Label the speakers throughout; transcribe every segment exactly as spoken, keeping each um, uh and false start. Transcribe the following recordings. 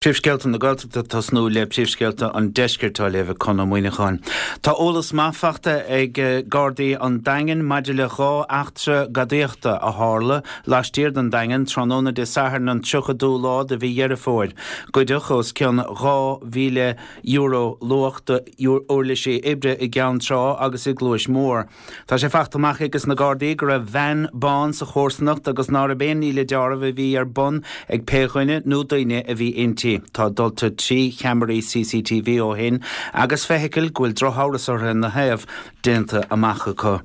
Speaker 1: Príomhscéalta na Gaeltachta tosnú le príomhscéalta an deiscirt á léamh ag Conn Ó Muíneacháin. Tá eolas maith fachta ag Gardaí an Daingin maidir le dhá eachtra gadaíochta a tharla laistiar den Daingean tráthnóna Dé Sathairn an tríochadú lá de mhí Dheireadh Fómhair. Goideadh os cionn dhá mhíle euro luach d'uirlisí oibre i gCeann Trá agus i gCluais Mhór. Tá sé fachta amach ages na Gardaí go raibh veain bán sa chomharsanacht agus nárbh aon ní le deáramh a bhí ar bun ag pé dhuine nó daoine a bhí inti. Tá dulta trí cheamaraí CCTV ó shin agus feithicil go bhfuil drochamhras orthu ina thaobh déanta amach acu.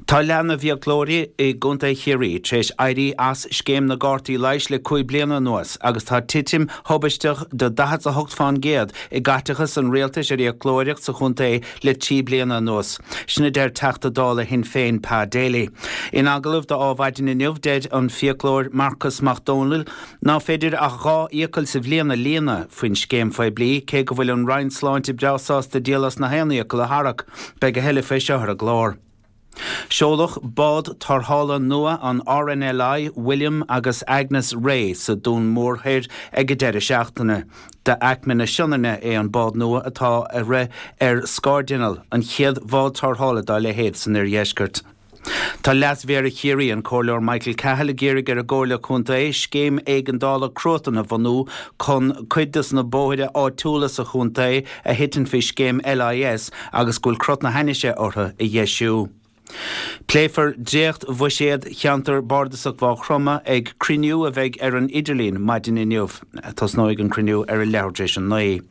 Speaker 1: Tá leath na bhfiaclóirí i gContae Chiarraí tar éis éirí as scéim na gcártaí leighis le cúig bliana anuas agus tá titim thubaisteach de daichead a hocht faoin gcéad i gcaiteachas an rialtais ar fhiaclóireacht sa chontae le trí bliana anuas. Sin a deir Teachta Dála Shinn Féin Pa Daly. In agallamh do Adhmhaidin inniu deir an fiaclóir Marcas Mac Dónaill ná féidir ach dhá fhiacail sa bhliain a líonadh faoin scéim phoiblí cé go bhfuil an Roinn Sláinte breá sásta díol as na haon fhiacail a tharrac. Beidh a thuilleadh faoi seo ar an gclár. Seoladh bád tarrthála nua an RNLI William agus Agnes Ray sa Dún Mór Thoir ag an deireadh seachtaine. D'aicme na Sionainne é an bád nua atá ag rith ar scairdinneall, an chéad bhád tarrthála dá leithéid san oirdheisceart. Tá Leas-Mhéara Chiarraí an Comhairleoir Michael Cahill ag iarraidh ar an gComhairle Contae scéim éigeandála cruatan a bhunú chun cuid de na bóithre áitiúla sa chontae a thiteann faoi scéim LIS agus go bhfuil crot na hainnise orthu a dheisiú. Pléifear dréacht bhuiséad cheantar Bardasach Mhaigh Chromtha ag cruinniú a bheidh ar an idirlíon maidin inniu. Tosnóidh an cruinniú ar a leathuair tar éis a naoi.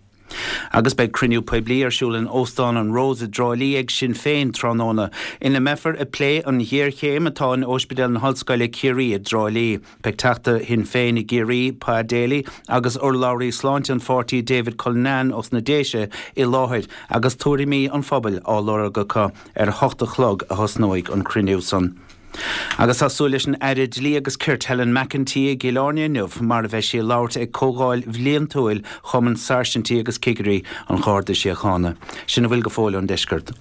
Speaker 1: Agus beidh cruinniú poiblí ar siúl in Óstán an Rose i dTrá Lí ag Sinn Féin tráthnóna, ina mbeifear ag plé an ghéarchéim atá in Ospidéal na hOllscoile Ciarraí i dTrá Lí. Beidh Teachta Shinn Féin i gCiarraí, Pa Daly, agus urlabhraí sláinte an pháirtí David Cullinane os na Déise i láthair agus tuairimí an phobail á lorg acu. Ar a hocht a chlog a thosnóidh an cruinniú san. Agus tá súil leis an Aire Dlí agus Cirt Helen McEntee i gCill Airne inniu mar a bheidh sí ag labhairt ag comhdháil bhliantúil Chumann Sáirsintí agus Cigirí an Gharda Síochána. Sin a bhfuil go fóill ón deisceart.